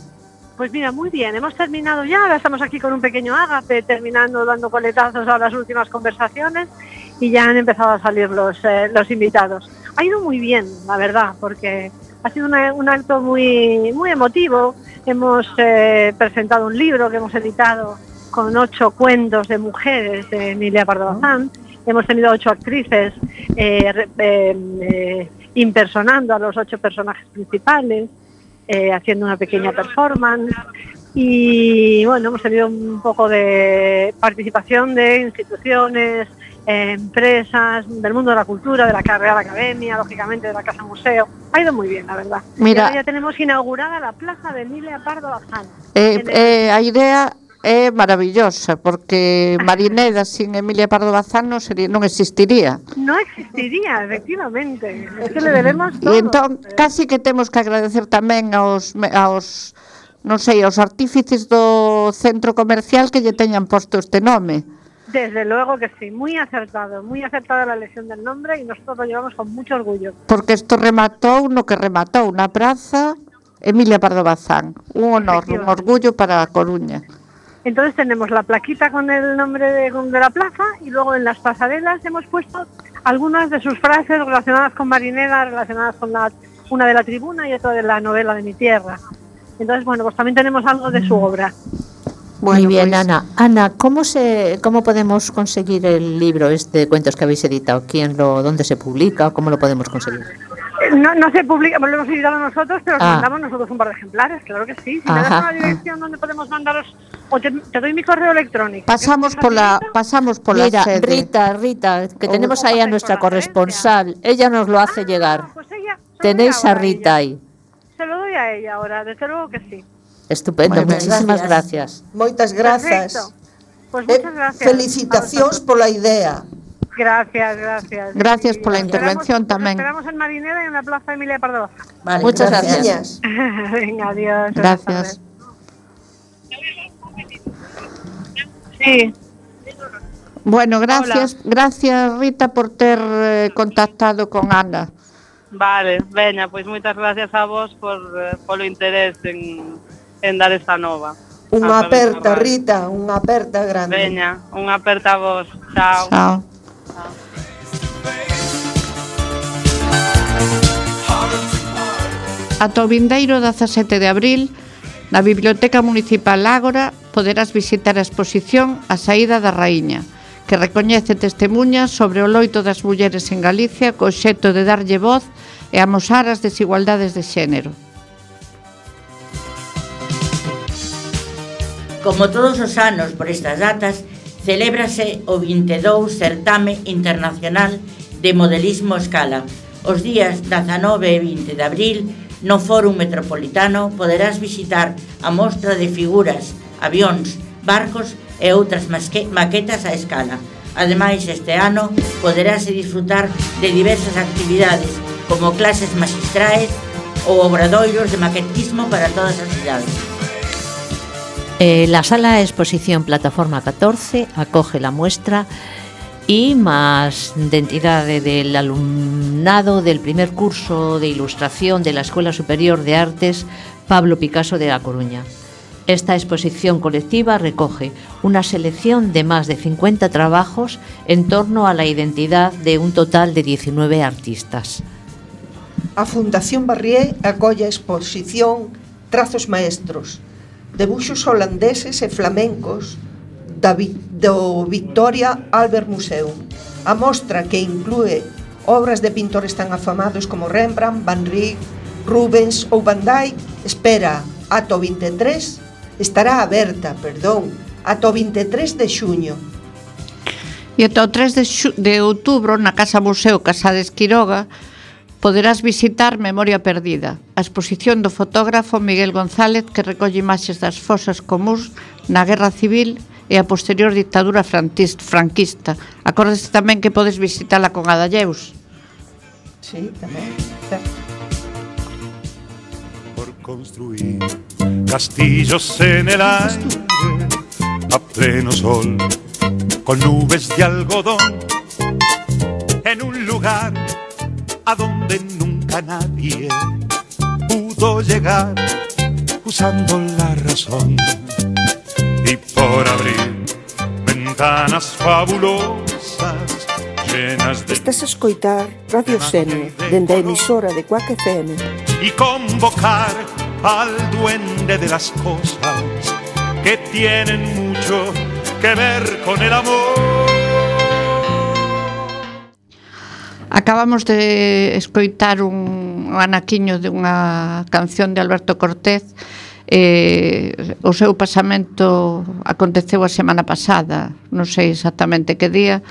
J: Pues mira, muy bien, hemos terminado ya, ahora estamos aquí con un pequeño ágape, terminando dando coletazos a las últimas conversaciones y ya han empezado a salir los invitados. Ha ido muy bien, la verdad, porque ha sido un acto muy emotivo. Hemos presentado un libro que hemos editado con 8 cuentos de mujeres de Emilia Pardo Bazán. Hemos tenido 8 actrices impersonando a los 8 personajes principales, haciendo una pequeña performance y bueno, hemos tenido un poco de participación de instituciones, empresas, del mundo de la cultura, de la Real Academia, lógicamente de la Casa Museo. Ha ido muy bien, la verdad.
F: Mira,
J: ya tenemos inaugurada la plaza de Emilia Pardo Bazán.
F: A idea é maravillosa, porque Marineda sin Emilia Pardo Bazán non existiría.
J: Non existiría, efectivamente. Es que le debemos todo.
F: E entón, casi que temos que agradecer tamén aos artífices do centro comercial que lle teñan posto este nome.
J: Desde luego que sí, muy acertada la elección del nombre y nosotros lo llevamos con mucho orgullo.
F: Porque isto rematou no que rematou na praza Emilia Pardo Bazán. Un honor, un orgullo para a Coruña.
J: Entonces tenemos la plaquita con el nombre de la plaza y luego en las pasarelas hemos puesto algunas de sus frases relacionadas con Marineda, relacionadas con una de la tribuna y otra de la novela de mi tierra. Entonces, bueno, pues también tenemos algo de su obra.
C: Muy bien, pues, Ana, ¿cómo podemos conseguir el libro de cuentos que habéis editado? ¿Dónde se publica? ¿Cómo lo podemos conseguir?
J: No se publica, lo hemos editado nosotros, pero mandamos nosotros un par de ejemplares, claro que sí. Si me das una dirección donde podemos mandaros, o te doy mi correo electrónico.
F: Pasamos por la
C: Mira,
F: sede.
C: Rita, que tenemos ahí a nuestra corresponsal, ella nos lo hace llegar.
J: Pues ella,
C: tenéis a Rita ahí.
J: Se lo doy a ella ahora, desde luego que sí.
C: Estupendo, bueno, muchísimas gracias.
E: Moitas grazas.
J: Perfecto. Pues muchas gracias.
E: Felicitacións pola idea.
J: Gracias.
F: Gracias por la intervención también.
J: Esperamos en Marineda y en la plaza Emilia Pardo Bazán.
E: Vale,
C: muchas gracias.
J: Venga, adiós.
F: Gracias.
J: Sí.
F: Bueno, gracias Rita por ter contactado con Ana.
J: Vale, veña, pois moitas gracias a vos polo interés en dar esta nova.
E: Unha aperta, Rita, unha aperta grande.
J: Veña, unha aperta a vos. Chao.
F: Chao. Ata o vindeiro 17 de abril, na Biblioteca Municipal Ágora, poderás visitar a exposición A saída da raíña, que recoñece testemunhas sobre o loito das mulleres en Galicia co obxecto de darlle voz e amosar as desigualdades de xénero.
D: Como todos os anos por estas datas, celébrase o 22 Certame Internacional de Modelismo Escala. Os días 19 e 20 de abril, no Fórum Metropolitano, poderás visitar a mostra de figuras, avións, barcos e outras maquetas a escala. Ademais, este ano poderase disfrutar de diversas actividades, como clases maxistrais ou obradoiros de maquetismo para todas as cidades.
C: La sala de exposición Plataforma 14 acoge la muestra y más de entidad del alumnado del primer curso de ilustración de la Escuela Superior de Artes Pablo Picasso de La Coruña. Esta exposición colectiva recoge una selección de más de 50 trabajos en torno a la identidad de un total de 19 artistas.
E: A Fundación Barrié acolle a exposición Trazos Maestros, debuxos holandeses e flamencos do Victoria Albert Museum. A mostra, que inclúe obras de pintores tan afamados como Rembrandt, Van Rijn, Rubens ou Van Dyck, ata o 23 ata o 23 de xuño.
F: E ata o 3 de outubro, na Casa Museo Casades Quiroga, poderás visitar Memoria Perdida, a exposición do fotógrafo Miguel González, que recolle imaxes das fosas comúns na Guerra Civil e a posterior dictadura franquista. Acórdese tamén que podes visitala con Adalleus.
E: Sí, tamén, certo.
K: Por construir castillos en el aire a pleno sol, con nubes de algodón, en un lugar a donde nunca nadie pudo llegar usando la razón, y por abrir ventanas fabulosas llenas de...
E: Estás a escoitar Radio Senior dende a emisora de Cuac FM
K: y convocar al duende de las cosas que tienen mucho que ver con el amor.
F: Acabamos de escoitar un anaquiño de unha canción de Alberto Cortés. O seu pasamento aconteceu a semana pasada, non sei exactamente que día,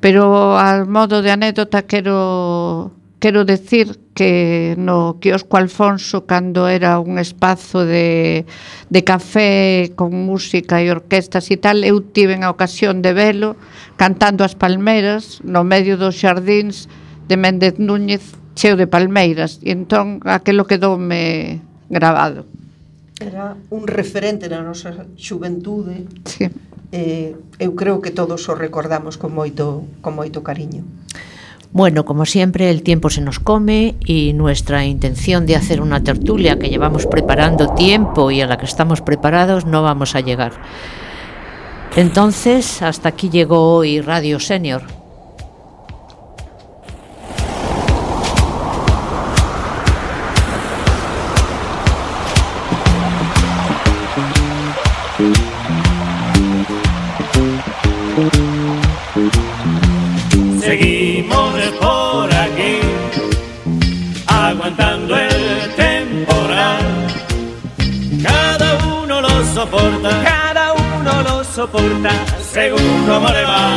F: pero al modo de anécdota quero decir que no quiosco Alfonso, cando era un espazo de café con música e orquestas e tal, eu tiven a ocasión de velo cantando as palmeras no medio dos xardíns de Méndez Núñez, cheo de palmeiras, e entón aquilo quedoume grabado.
E: Era un referente na nosa xuventude.
F: Sí.
E: Eu creo que todos o recordamos con moito cariño.
C: Bueno, como siempre, el tiempo se nos come y nuestra intención de hacer una tertulia que llevamos preparando tiempo y a la que estamos preparados no vamos a llegar. Entonces, hasta aquí llegó hoy Radio Senior.
L: Seguimos por aquí, aguantando el temporal. Cada uno lo soporta, según cómo le va.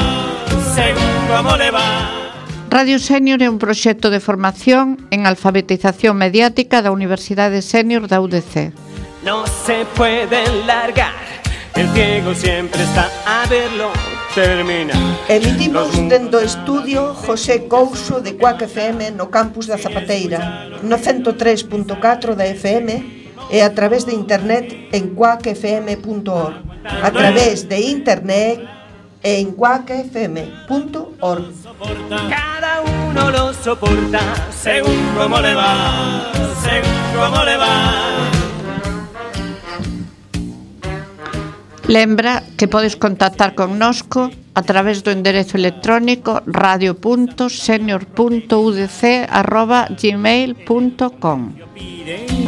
F: Radio Senior é un proxecto de formación en alfabetización mediática da Universidade Senior da UDC.
L: No se puede largar, el ciego siempre está a verlo. Termina.
E: Emitimos dentro do estudio José Couso de Cuac FM no campus da Zapateira, no 103.4 da FM e a través de internet en cuacfm.org, a través de internet en cuacfm.org.
L: Cada uno lo soporta según cómo le va.
F: Lembra que podes contactar connosco a través do enderezo electrónico radio.senior.udc@gmail.com.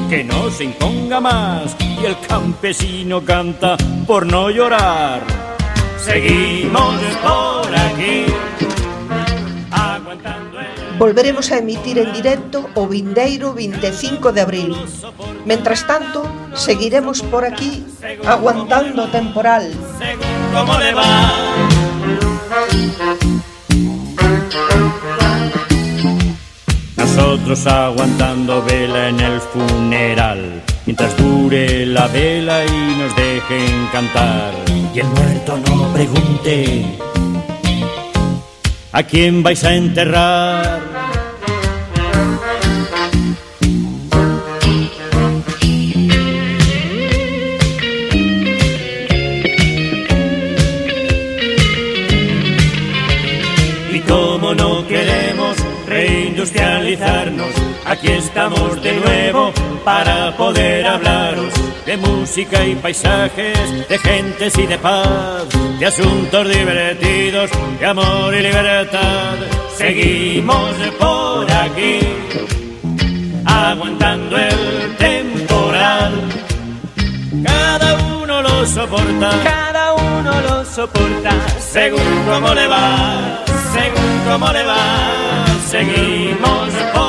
M: Que no se imponga más y el campesino canta por no llorar. Seguimos por aquí.
E: Volveremos a emitir en directo o vindeiro 25 de abril. Mentras tanto, seguiremos por aquí aguantando o temporal.
M: ¿Cómo le va? Nosotros aguantando vela en el funeral, mientras dure la vela y nos dejen cantar. Y el muerto no pregunte ¿a quién vais a enterrar? Y como no queremos reindustrializarnos, aquí estamos de nuevo para poder hablaros de música y paisajes, de gentes y de paz, de asuntos divertidos, de amor y libertad. Seguimos por aquí, aguantando el temporal. Cada uno lo soporta, según cómo le va, según cómo le va. Seguimos por